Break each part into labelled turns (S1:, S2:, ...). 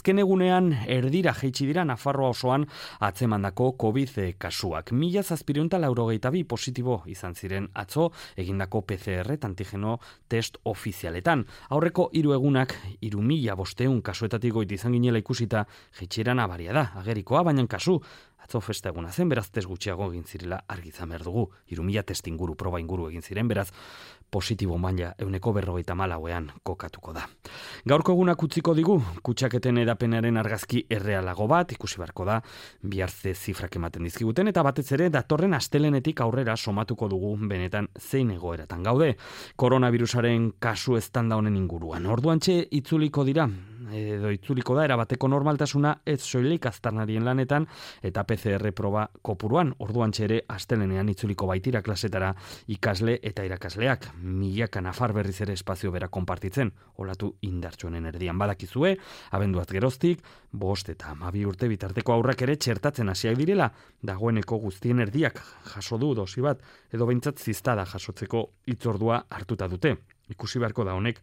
S1: Azken egunean erdira jaitsi dira Nafarroa osoan atzemandako COVID kasuak. 1782 positibo izan ziren atzo egindako PCR antigeno test ofizialetan. Aurreko 3 egunak 3500 kasuetatik goiti izan ginela ikusita jaitsiera nabaria da, agerikoa, baina kasu atzo festa eguna zen, beraz test gutxiago egin zirela argi izan behar dugu. 3000 test inguru, proba inguru egin ziren, beraz positibo maila 154ean kokatuko da. Gaurko egunak utziko digu, kutsaketen edapenaren argazki errealago bat, ikusi beharko da, bihar ze zifrak ematen dizkiguten, eta batez ere datorren astelenetik aurrera somatuko dugu benetan zein egoeratan gaude. Koronavirusaren kasu eztanda honen inguruan. Orduantxe itzuliko da erabateko normaltasuna ez soilik aztarnarien lanetan eta PCR proba kopuruan. Orduantxe ere astelenean itzuliko baitira klasetara ikasle eta irakasleak. Milaka nafar berriz ere espazio bera konpartitzen, olatu indartsuenen erdian badakizue, abenduaz geroztik, 5 eta 12 urte bitarteko aurrak ere txertatzen hasiak direla, dagoeneko guztien erdiak jaso du dosi bat, edo behintzat ziztada jasotzeko hitzordua hartuta dute. Ikusi beharko da honek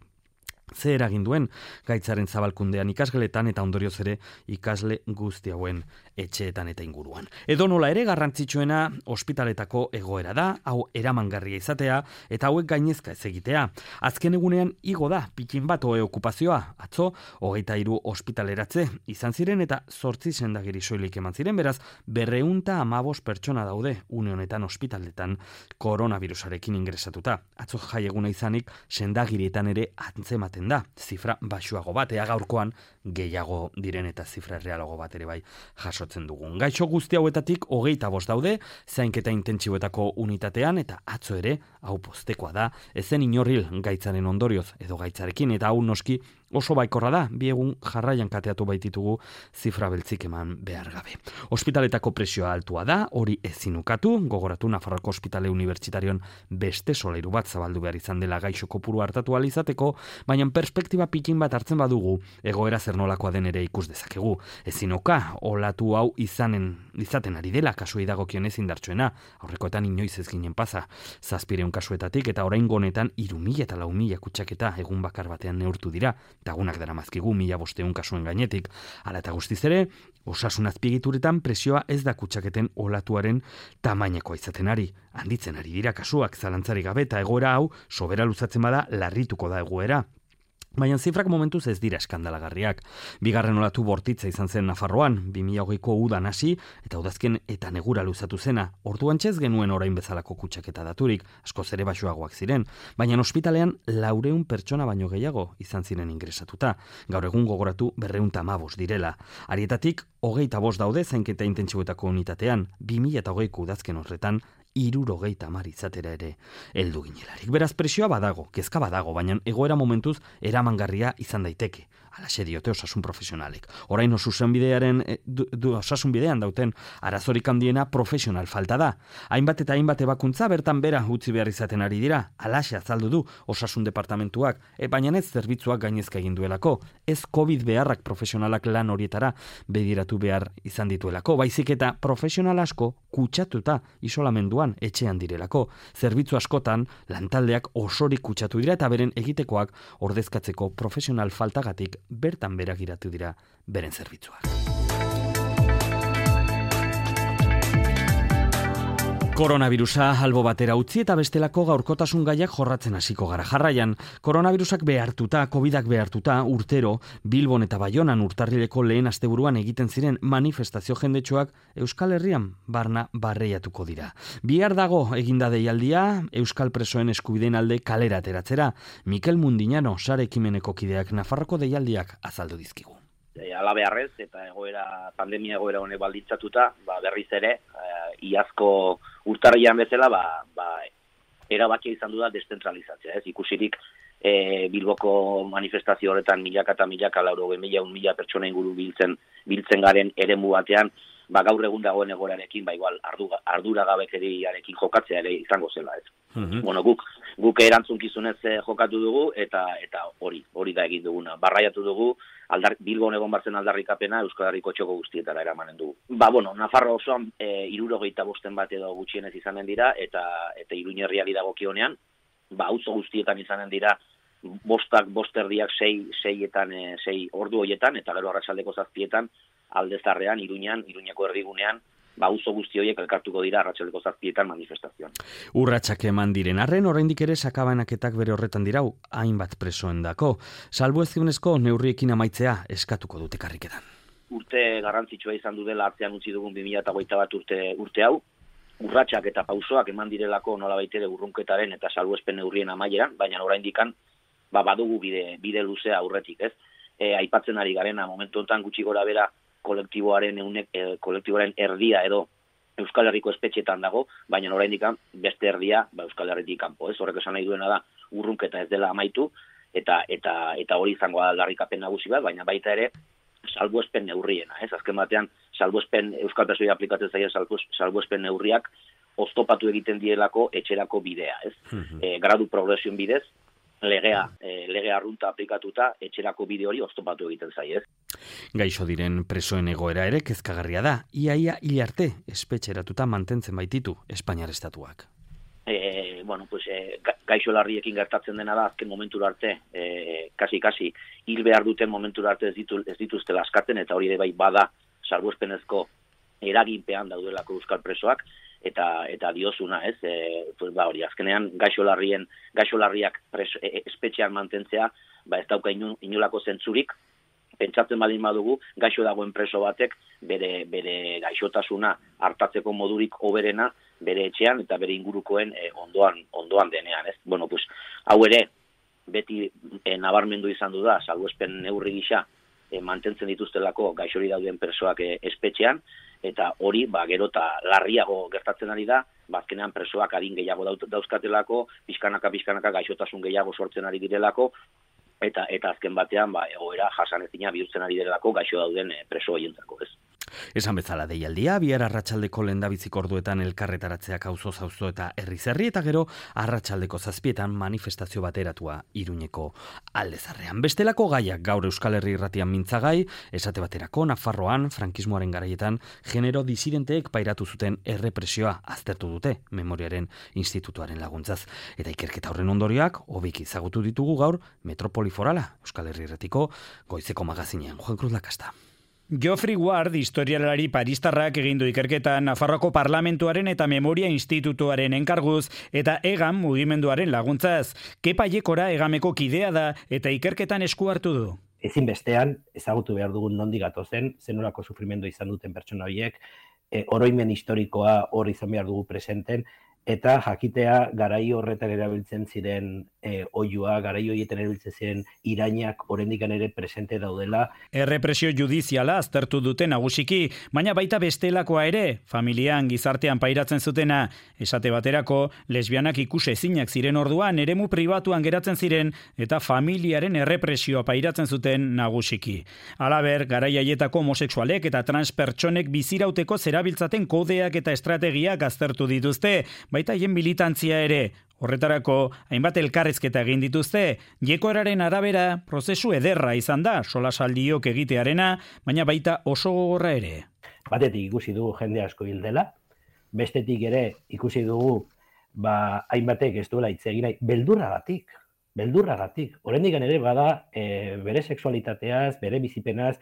S1: ze eragin duen gaitzaren zabalkundean ikasgeletan eta ondorioz ere ikasle guzti hauen etxeetan eta inguruan. Edo nola ere garrantzitsuena ospitaletako egoera da, hau eramangarria izatea eta hauek gainezka ez egitea. Azken egunean igo da pikin bat okupazioa, atzo 23 ospitaleratze izan ziren eta 8 sendagiri soilik eman ziren, beraz 215 pertsona daude une honetan ospitaletan koronavirusarekin ingresatuta. Atzo jai eguna izanik sendagirietan ere antzematen da, zifra baxuago bat, ea gaurkoan gehiago diren eta zifra realago bat ere bai jasotzen dugun. Gaixo guzti hauetatik 25 daude, zainketa intentsiboetako unitatean, eta atzo ere, hau postekoa da, ezen inorril gaitzaren ondorioz edo gaitzarekin, eta hau noski oso baikorra da, 2 egun jarraian kateatu baititugu zifra beltzik eman behar gabe. Ospitaletako presioa altua da, hori ezin ukatu, gogoratu Nafarroako Ospitale Unibertsitarion beste solairu bat zabaldu behar izan dela gaixo kopuru hartatu ahal izateko, baina perspektiba pikin bat hartzen badugu, egoera zer nolakoa den ere ikus dezakegu. Ezin oka, olatu hau izaten ari dela kasuei dagokionez indartsuena, aurrekoetan inoiz ez ginen pasa, 700 kasuetatik eta oraingo honetan 3000 eta 4000 kutsaketa egun bakar batean neurtu dira, tagunak daramazkigu 1500 kasuen gainetik. Hala eta guztiz ere, osasun azpiegituretan presioa ez da kutsaketen olatuaren tamainekoa izaten ari. Handitzen ari dira kasuak zalantzarik gabe eta egoera hau sobera luzatzen bada larrituko da egoera. Baina zifrak momentuz ez dira eskandalagarriak. Bigarren olatu bortitza izan zen Nafarroan, 2020ko udan hasi eta udazken eta negura luzatu zena. Orduan txez genuen orain bezalako kutsaketa daturik, askoz ere baxuagoak ziren, baina ospitalean 400 pertsona baino gehiago izan ziren ingresatuta. Gaur egun gogoratu 215 direla. Harietatik 25 daude zainketa intentsiboetako unitatean, 2020ko udazken horretan 70 izatera ere heldu ginelarik. Beraz presioa badago, kezka badago, baina egoera momentuz eramangarria izan daiteke. Halaxe diote osasun profesionalek. Orain osasun bidean dauten arazorik handiena profesional falta da. Hainbat eta hainbat ebakuntza bertan bera utzi behar izaten ari dira. Halaxe azaldu du osasun departamentuak, baina ez zerbitzuak gainezka egin duelako. Ez COVID beharrak profesionalak lan horietara begiratu behar izan dituelako. Baizik eta profesional asko kutsatuta isolamenduan etxean direlako. Zerbitzu askotan lantaldeak osorik kutsatu dira eta beren egitekoak ordezkatzeko profesional faltagatik bertan berak iratu dira beren zerbitzuak. Koronavirusa albo batera utzi eta bestelako gaurkotasun gaiak jorratzen hasiko gara. Jarraian, koronavirusak behartuta, covidak behartuta, urtero, Bilbon eta Baionan urtarrileko lehen asteburuan egiten ziren manifestazio jendetsuak Euskal Herrian barna barreiatuko dira. Bihar dago eginda deialdia, Euskal presoen eskubideen alde kalera ateratzera. Mikel Mundiñano, sare ekimeneko kideak Nafarroko deialdiak azaldu dizkigu.
S2: Alabearrez eta pandemia egoera honek baldintzatuta, berriz ere, iazko urtarrian bezala, erabakia izan du da deszentralizatzea. Ikusirik Bilboko manifestazio horretan milaka eta milaka, 100.000 pertsona inguru biltzen garen eremu batean, gaur egun dagoen egoerarekin, igual arduragabekeriarekin jokatzea ere izango zela, ez. Bueno, guk erantzunkizunez jokatu dugu eta hori da egin duguna. Barraiatu dugu, Bilbon egon batzen aldarrikapena Euskal Herriko txoko guztietara eramanen dugu. Nafarro osoan 75 bat edo gutxienez izanen dira eta Iruñerriari dagokionean, auzo guztietan izanen dira bosterdiak 6 ordu horietan, eta gero arratsaldeko 7etan Aldezarrean, Iruñako erdigunean, auzo guzti horiek elkartuko dira arratsaldeko 7etan manifestazioan.
S1: Urratsak eman diren arren, oraindik ere sakabanaketak bere horretan dirau, hainbat presoendako. Salbuespenezko neurriekin amaitzea eskatuko dute karriketan.
S2: Urte garrantzitsua izan du dela atzean utzi dugun 2021 urte hau, urratsak eta pausoak eman direlako nolabait ere urrunketaren eta salbuespen neurrien amaieran, baina oraindikan badugu bide luzea aurretik, ez? Aipatzen ari garena momentu honetan gutxi gorabehera kolektiboaren erdia edo Euskal Herriko espetxetan dago, baina oraindikan beste erdia Euskal Herritik kanpo, ez? Horrek esan nahi duena da urrunketa ez dela amaitu eta hori izango da aldarrikapen nagusi bat, baina baita ere salbuespen neurriena, ez? Azken batean Euskal Presoei aplikatzen zaien salbuespen neurriak oztopatu egiten dielako etxerako bidea, ez? Gradu progresioen bidez lege arrunta aplikatuta etxerako bide hori oztopatu egiten zaie, ez?
S1: Gaixo diren presoen egoera ere kezkagarria da. Ia hil arte espetxeratuta mantentzen baititu Espainiar estatuak.
S2: Gaixo larriekin gertatzen dena da azken momentura arte, kasi hil behar duten momentura arte ez dituztela askatzen, eta hori ere bai bada salbuespenezko eraginpean daudelako euskal presoak, eta diozuna, ez? Hori azkenean gaixo larriak espetxean mantentzea, ez dauka inolako zentzurik. Pentsatzen baldin badugu, gaixo dagoen preso batek bere gaixotasuna hartatzeko modurik hoberena bere etxean eta bere ingurukoen ondoan denean, ez? Hau ere beti nabarmendu izan du da, salbuespen neurri gisa mantentzen dituztelako gaixori dauden presoak espetxean, eta hori gero eta larriago gertatzen ari da, azkenean presoak adin gehiago dauzkatelako, pixkanaka gaixotasun gehiago sortzen ari direlako, eta azken batean egoera jasanezina bihurtzen ari direlako gaixo dauden preso horientzako, ez?
S1: Esan bezala deialdia, bihar arratsaldeko lehendabiziko orduetan elkarretaratzeak auzoz auzo eta herri-herri, eta gero arratsaldeko 7etan manifestazio bateratua Iruñeko Aldezarrean. Bestelako gaiak gaur Euskal Herri irratian mintzagai, esate baterako Nafarroan frankismoaren garaietan genero disidenteek pairatu zuten errepresioa aztertu dute Memoriaren Institutuaren laguntzaz. Eta ikerketa horren ondorioak hobeki ezagutu ditugu gaur Metropoli Forala, Euskal Herri irratiko goizeko magazinean. Juan Cruz Lakasta.
S3: Geoffrey Ward, historialari paristarrak egin du ikerketa Nafarroako Parlamentuaren eta Memoria Institutuaren enkarguz eta EGAM mugimenduaren laguntzaz. Kepa Aiekora EGAMeko kidea da eta ikerketan esku hartu du.
S4: Ezinbestean ezagutu behar dugun nondik gatozen, zenolako sufrimendu izan duten pertsona horiek, oroimen historikoa hor izan behar dugu presenten, eta jakitea garai horretan erabiltzen ziren oihua, garai horietan erabiltzen ziren irainak oraindikan ere presente daudela.
S3: Errepresio judiziala aztertu dute nagusiki, baina baita bestelakoa ere, familian, gizartean pairatzen zutena. Esate baterako, lesbianak ikusezinak ziren orduan, eremu pribatuan geratzen ziren, eta familiaren errepresioa pairatzen zuten nagusiki. Halaber, garai haietako homosexualek eta transpertsonek bizirauteko zerabiltzaten kodeak eta estrategiak aztertu dituzte, baita haien militantzia ere. Horretarako, hainbat elkarrezketa egin dituzte, Jekoraren arabera prozesu ederra izan da, solasaldiok egitearena, baina baita oso gogorra ere.
S4: Batetik ikusi dugu jende asko hil dela, bestetik ere ikusi dugu hainbatek ez duela hitz egin nahi, beldurragatik. Oraindik ere bada bere sexualitateaz, bere bizipenaz,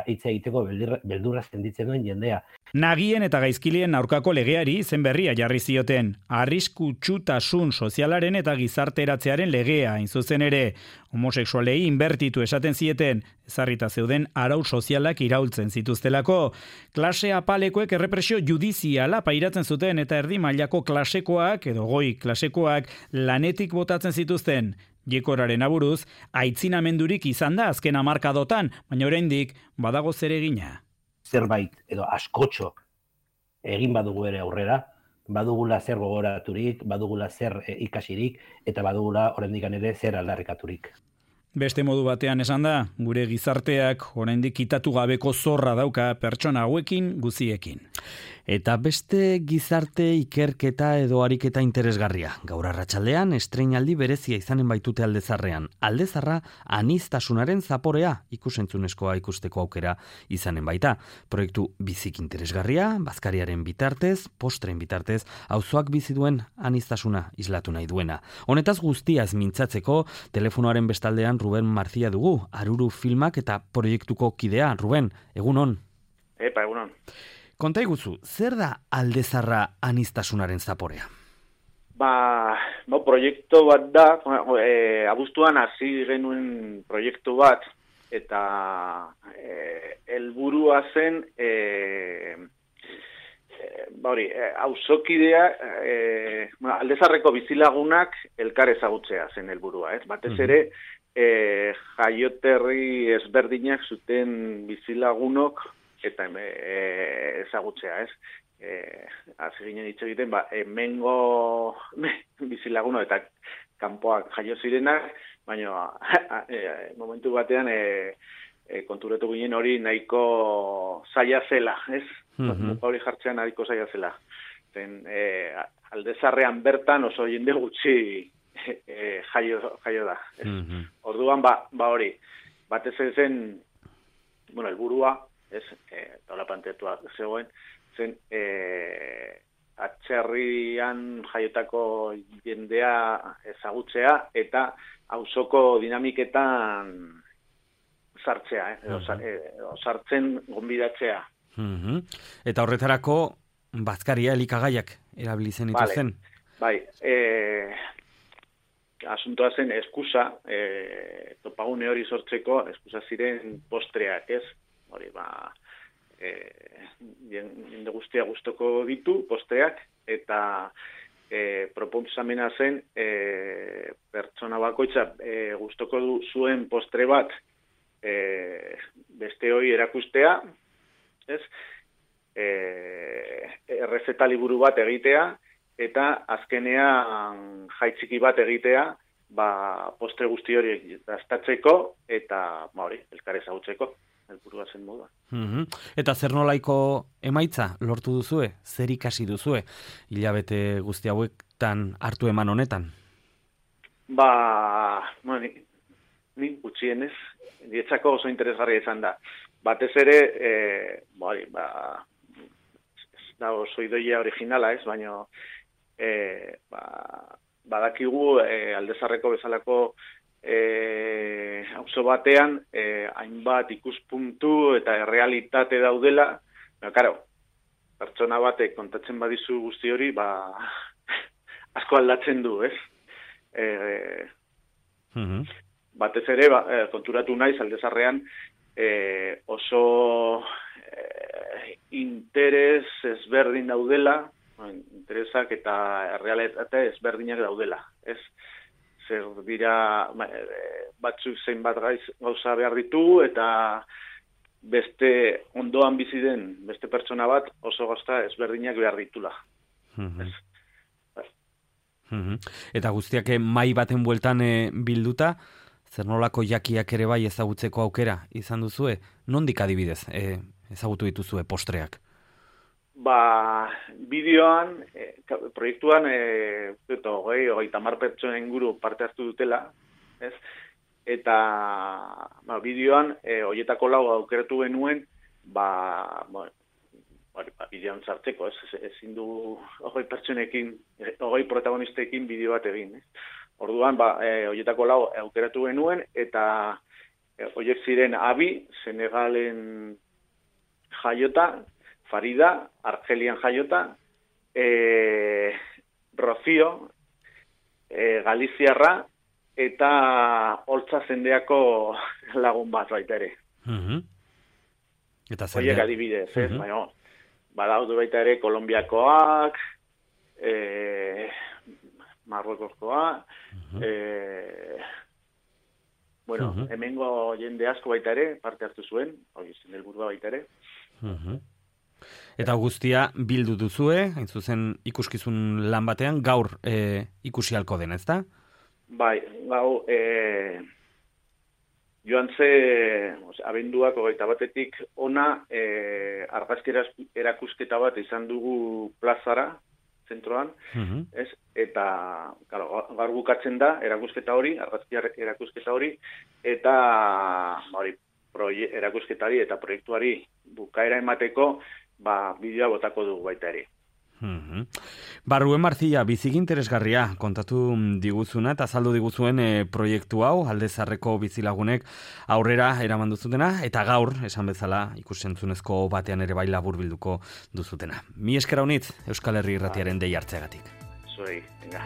S4: hitz egiteko beldurra senditzen duen jendea.
S3: Nagien eta gaizkilien aurkako legeari izen berria jarri zioten, arriskutsutasun sozialaren eta gizarteratzearen legea, hain zuzen ere, homosexualei inbertitu esaten zieten, ezarrita zeuden arau sozialak iraultzen zituztelako. Klase apalekoek errepresio judiziala pairatzen zuten eta erdi mailako klasekoak edo goi klasekoak lanetik botatzen zituzten. Jekoraren aburuz, aitzinamendurik izan da azken hamarkadotan, baina oraindik badago zeregina.
S4: Zerbait edo askotxo egin badugu ere aurrera, badugula zer gogoraturik, badugula zer ikasirik, eta badugula oraindik ere zer aldarrikaturik.
S3: Beste modu batean esan da, gure gizarteak oraindik kitatu gabeko zorra dauka pertsona hauekin guziekin.
S1: Eta beste gizarte ikerketa edo ariketa interesgarria. Gaur arratsaldean estreinaldi berezia izanen baitute Aldezarrean. Aldezarra aniztasunaren zaporea ikusentzunezkoa ikusteko aukera izanen baita. Proiektu bizik interesgarria, bazkariaren bitartez, postren bitartez, auzoak bizi duen aniztasuna islatu nahi duena. Honetaz guztiaz mintzatzeko, telefonoaren bestaldean Ruben Marzia dugu, Aruru filmak eta proiektuko kidea. Ruben, egunon.
S5: Egunon.
S1: Konta iguzu, zer da Aldezarra aniztasunaren zaporea?
S5: Proiektu bat da, abuztuan hasi genuen proiektu bat, eta helburua zen, auzokidea, Aldezarreko bizilagunak elkar ezagutzea zen helburua, ez? Batez ere, jaioterri ezberdinak zuten bizilagunok, eta ezagutzea, ez? Hasi ginen hitz egiten, hemengo bizilaguno eta kanpoak jaio zirenak, baina momentu batean konturatu ginen hori nahiko zaila zela, ez? Hori jartzean nahiko zaila zela. Aldezarrean bertan oso jende gutxi jaio da. Orduan, hori, batez zen, helburua, ez, tola planteatua zegoen, zen atzerrian jaiotako jendea ezagutzea eta auzoko dinamiketan sartzea, sartzen gonbidatzea.
S1: Eta horretarako bazkaria elikagaiak erabilizen zen.
S5: Bai, asuntoa zen eskusa, topagune hori sortzeko, eskusa ziren postreak, ez? Hori, jende guztia gustoko ditu, postreak, eta proposamena zen, pertsona bakoitza gustoko zuen postre bat beste hori erakustea, ez? Errezeta liburu bat egitea, eta azkenean jaitziki bat egitea, postre guzti hori dastatzeko, eta elkar ezagutzeko. Helburua zen moda.
S1: Eta zer nolaiko emaitza lortu duzue? Zer ikasi duzue? Hilabete guzti hauetan hartu eman honetan?
S5: Ni gutxienez, nietzako oso interesgarria izan da. Batez ere, da oso idoia originala, ez? Baina, badakigu Aldezarreko bezalako auzo batean hainbat ikuspuntu eta errealitate daudela, pertsona batek kontatzen badizu guzti hori, asko aldatzen du, ez? Batez ere, konturatu naiz Aldezarrean oso interes ezberdin daudela, interesak eta errealitate ezberdinak daudela, ez? Zer dira, batzuk zeinbat gauza behar ditu, eta beste ondoan bizi den, beste pertsona bat oso gauza ezberdinak behar ditula.
S1: Eta guztiak mai baten bueltan bilduta, zer nolako jakiak ere bai ezagutzeko aukera izan duzue? Nondik adibidez ezagutu dituzue postreak?
S5: Bideoan, proiektuan, 30 pertsona inguru parte hartu dutela, ez? Eta, bideoan, horietako 4 aukeratu genuen, bideoan sartzeko, ez? Ezin du 20 pertsonekin, 20 protagonistekin bideo bat egin, ez? Orduan, horietako 4 aukeratu genuen, eta horiek ziren Abi, Senegalen jaiota, Farida, Argelian jaiota, Rocío, Galiziarra, eta Holtza zendeako lagun bat baita ere. Horiek adibidez, ez? Badaude baita ere Kolombiakoak, Marruekoskoa, hemengo jende asko baita ere, parte hartu zuen, hori zen helburua baita ere.
S1: Eta guztia bildu duzue, hain zuzen ikuskizun lan batean, gaur ikusi halko den, ezta?
S5: Bai, joan ze, abenduak 21-etik ona, argazki erakusketa bat izan dugu plazara, zentroan, ez? Eta, gaur bukatzen da, erakusketa hori, argazki erakusketa hori, eta erakusketari eta proiektuari bukaera emateko, bideoa botako dugu baita ere.
S1: Ruen Marcilla, biziki interesgarria kontatu diguzuna eta azaldu diguzuen proiektu hau, Alde Zaharreko bizilagunek aurrera eraman duzutena, eta gaur, esan bezala, ikusentzunezko batean ere bai laburbilduko duzutena. Mi esker honitz, Euskal Herri Irratiaren dei hartzeagatik.
S5: Zuei, venga.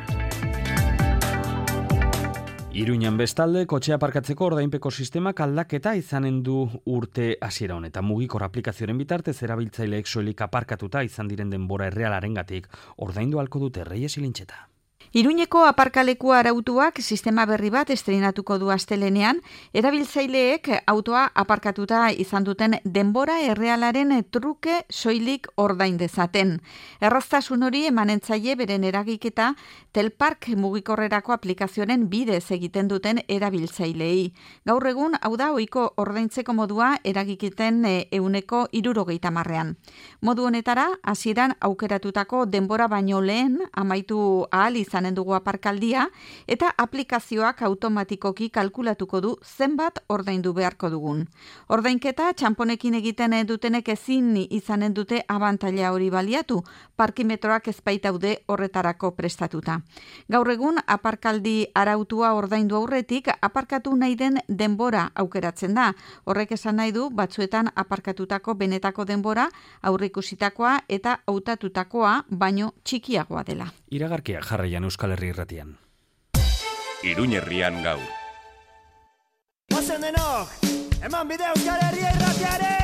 S1: Iruñan bestalde, kotxea aparkatzeko ordainpeko sistemak aldaketa izanen du urte hasiera honetan. Mugikor aplikazioaren bitartez erabiltzaileek soilik aparkatuta izan diren denbora errealarengatik ordaindu ahalko dute. Reyes Ilintxeta.
S6: Iruñeko aparkalekua arautuak sistema berri bat estreinatuko du astelenean, erabiltzaileek autoa aparkatuta izan duten denbora errealaren truke soilik ordain dezaten. Erraztasun hori emanentzaile beren eragiketa Telpark mugikorrerako aplikazioaren bidez egiten duten erabiltzaileei. Gaur egun, hau da ohiko ordaintzeko modua eragiketen 70%. Modu honetara, hasieran aukeratutako denbora baino lehen amaitu ahal izanen dugu aparkaldia eta aplikazioak automatikoki kalkulatuko du zenbat ordaindu beharko dugun. Ordainketa txanponekin egiten dutenek ezin izanen dute abantaila hori baliatu, parkimetroak ez baitaude horretarako prestatuta. Gaur egun aparkaldi arautua ordaindu aurretik aparkatu nahi den denbora aukeratzen da. Horrek esan nahi du batzuetan aparkatutako benetako denbora aurreikusitakoa eta hautatutakoa baino txikiagoa dela.
S1: Iragarkia jarraian Euskal Herri Irratian.
S7: Iruñ herrian gaur.
S8: Ozen denok, eman bide Euskal Herri Irratiare!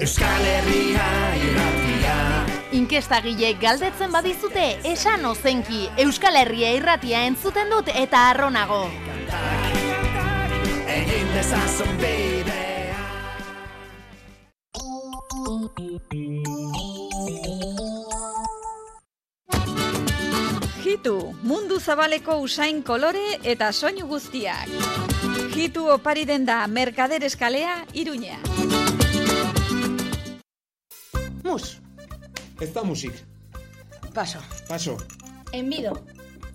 S8: Euskal Herria Irratia.
S9: Inkestagilek galdetzen badizute, esan ozenki, Euskal Herria Irratia entzuten dut eta arronago.
S8: Egin dezazun bidea.
S6: Hitu, mundu zabaleko usain kolore eta soinu guztiak. Hitu opari den da Mercader Eskalea, Iruña.
S10: Mus.
S11: Ez da musik.
S10: Paso.
S11: Paso.
S10: Enbido.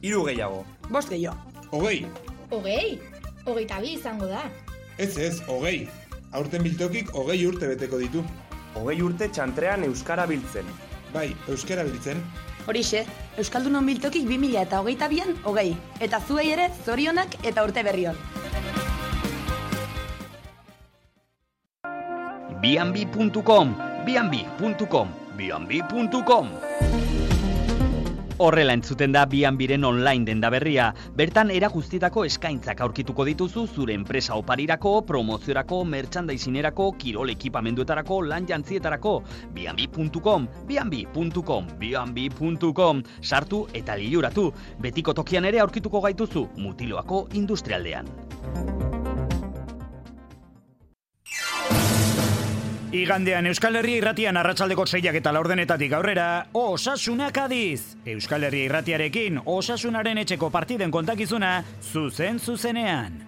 S11: 3 gehiago.
S10: 5 gehiago.
S11: 20.
S10: 20? 22 izango da.
S11: Ez, 20. Aurten biltokik 20 urte beteko ditu.
S12: 20 urte txantrean euskara biltzen.
S11: Bai, euskara biltzen.
S10: Horixe, Euskaldunon biltokik 2022an 20. Eta zuei ere zorionak eta urte berrion.
S1: Bianbi.com, bianbi.com, bianbi.com. Horrela entzuten da Bianbiren online denda berria. Bertan erakustietako eskaintzak aurkituko dituzu zure enpresa oparirako, promoziorako, merchandisinerako, kirol ekipamenduetarako, lan jantzietarako. Bianbi.com, bianbi.com, bianbi.com. Sartu eta liluratu. Betiko tokian ere aurkituko gaituzu, Mutiloako industrialdean.
S3: Igandean Euskal Herria Irratian arratsaldeko 6ak eta 4:00 aurrera, Osasunak Adiz. Euskal Herria Irratiarekin Osasunaren etxeko partiden kontakizuna zuzenean.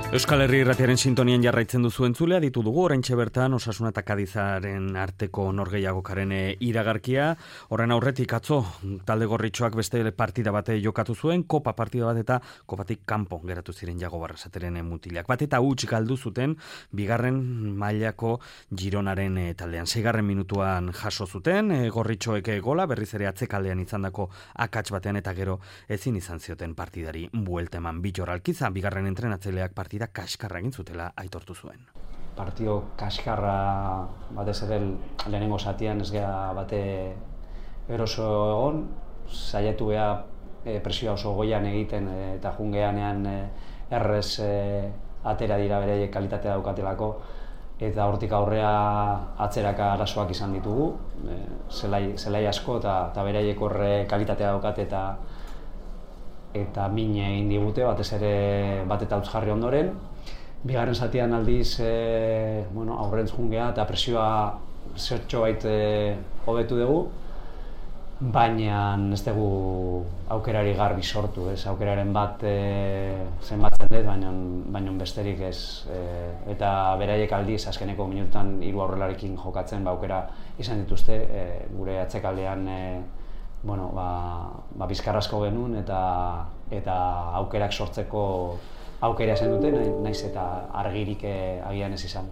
S1: Euskal Herri Irratiaren sintonian jarraitzen duzu entzulea, ditu dugu oraintxe bertan Osasuna eta Kadizaren arteko norgehiagokaren iragarkia. Horren aurretik atzo talde gorritxoak beste partida bate jokatu zuen, kopa partida bat eta kopatik kanpo geratu ziren Jago Barrasateren mutilak. Bat eta huts galdu zuten bigarren mailako Gironaren taldean. 6. minutuan jaso zuten, gorritxoek gola, berriz ere atzekaldean izandako akats batean eta gero ezin izan zioten partidari buelta eman. Bittor Alkiza, bigarren entrenatzaileak partida kaskarra egin zutela aitortu zuen.
S13: Partio kaskarra batez ere lehenengo zatian ez gea bate eroso egon, saiatu gea presioa oso goian egiten eta jungeanean errez atera dira beraiek kalitatea daukatelako eta hortik aurrea atzeraka arazoak izan ditugu, zelai asko eta beraiek horre kalitatea daukate eta min egin digute, batez ere bat eta utz jarri ondoren. Bigarren zatian aldiz aurrentz jungea eta presioa zertxo bait hobetu dugu. baina ez dugu aukerari garbi sortu, ez aukeraren bat zenbatzen dut, baina besterik ez. Eta beraiek aldiz, azkeneko minututan 3 aurrelarekin jokatzen, aukera izan dituzte, gure atzekaldean bizkarrazko genuen eta aukerak sortzeko aukera esan duten, naiz eta argirik agian ez izan.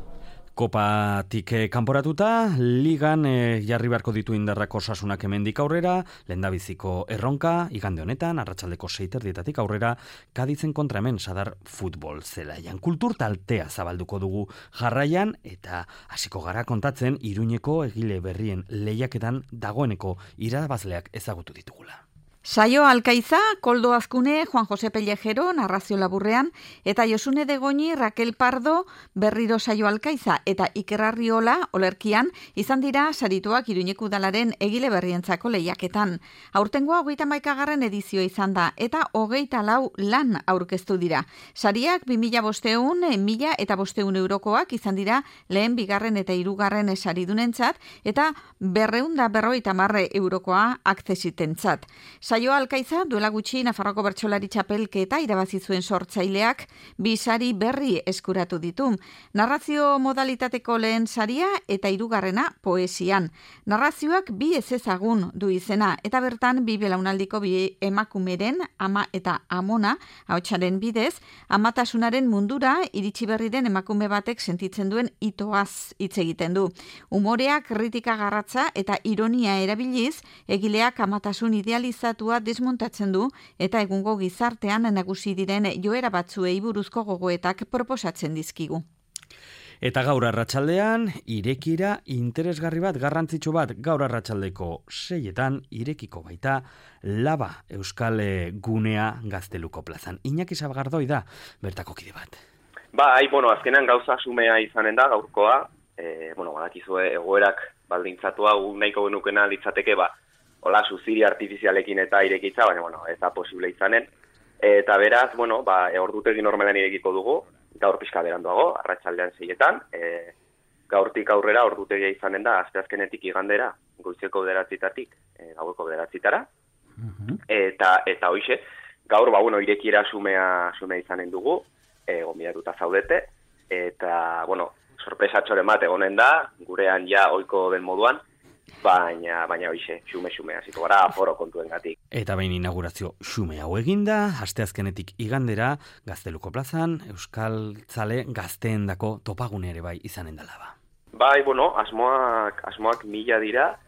S1: Kopatik kanporatuta, ligan jarri beharko ditu indarrak Osasunak hemendik aurrera, lehendabiziko erronka, igande honetan, arratsaldeko 6:00 aurrera, Kadizen kontra hemen Sadar futbol zelaian. Kultur taltea zabalduko dugu jarraian, eta hasiko gara kontatzen Iruñeko egile berrien lehiaketan dagoeneko irabazleak ezagutu ditugula.
S6: Saio Alkaiza, Koldo Azkune, Juan Jose Pellejero, narrazio laburrean, eta Josune de Goñi, Raquel Pardo, berriro Saio Alkaiza, eta Iker Arriola, olerkian, izan dira sarituak Iruñeko udalaren egile berrientzako lehiaketan. Aurtengoa 31. edizioa izan da, eta 24 lan aurkeztu dira. Sariak 2.500, 1.000 eta 500 eurokoak izan dira lehen, bigarren eta hirugarren saridunentzat, eta 250 eurokoa akzesitentzat. Saio Alkaiza duela gutxi Nafarroko bertsolari txapelketa irabazi zuen sortzaileak 2 sari berri eskuratu ditu. Narrazio modalitateko lehen saria eta 3. poesian. Narrazioak 2 ezezagun du izena eta bertan 2 belaunaldiko 2 emakumeren, ama eta amona, ahotsaren bidez, amatasunaren mundura iritsi berri den emakume batek sentitzen duen itoaz hitz egiten du. Umorea, kritika garratza eta ironia erabiliz, egileak amatasun idealizatu desmontatzen du eta egungo gizartean nagusi diren joera batzuei buruzko gogoetak proposatzen dizkigu.
S1: Eta gaur arratsaldean irekira interesgarri bat, garrantzitsu bat, gaur arratsaldeko 6:00 irekiko baita Laba Euskal Gunea Gazteluko plazan. Iñaki Sabagardoi da bertako kide bat.
S12: Azkenan gauza xumea izanen da gaurkoa, badakizue egoerak baldintzatu hau nahiko genukena litzateke hola, suziri artifizialekin eta irekitza, baina, ez da posible izanen. Eta beraz, ordutegi normalan irekiko dugu, gaur pixka beranduago, arratsaldean 6:00, gaurtik aurrera ordutegia izanen da, asteazkenetik igandera, goizeko 9:00-tatik, gaueko 9:00-tara. Eta hoixe, gaur, irekiera xumea izanen dugu, gonbidatuta zaudete, eta, sorpresatxoren bat egonen da, gurean ja ohiko den moduan, baina hoixe, xume hasiko gara aforo kontuengatik.
S1: Eta behin inaugurazio xume hau eginda, asteazkenetik igandera, Gazteluko plazan, Euskaltzale gazteendako topagune ere bai izanen dela
S12: asmoak 1000 dira,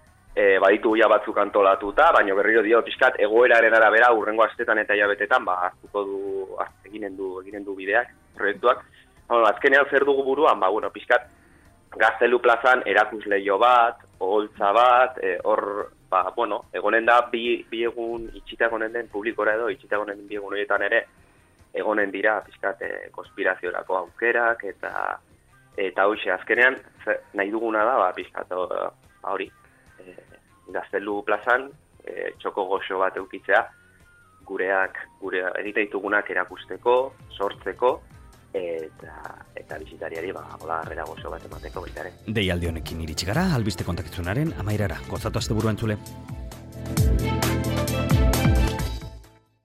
S12: baditu ja batzuk antolatuta, baina berriro dio pixkat egoeraren arabera urrengo astetan eta hilabetetan, eginen du bideak, proiektuak. Azkenean zer dugu buruan, pixkat Gaztelu plazan erakusleio bat, oholtza bat, egonen da bi egun itxita egonen den publikora edo, itxita egonen den bi egun horietan ere, egonen dira pixkat konspiraziorako aukerak, eta hoxe, azkenean nahi duguna da, pixkat hori, Gaztelu plazan, txoko goxo bat eukitzea, gure egite ditugunak erakusteko, sortzeko, eta bisitariari harrera gozo bat emateko baita ere.
S1: Deialdi honekin iritsi gara, albiste kontakizunaren amaierara. Gozatu asteburua entzule.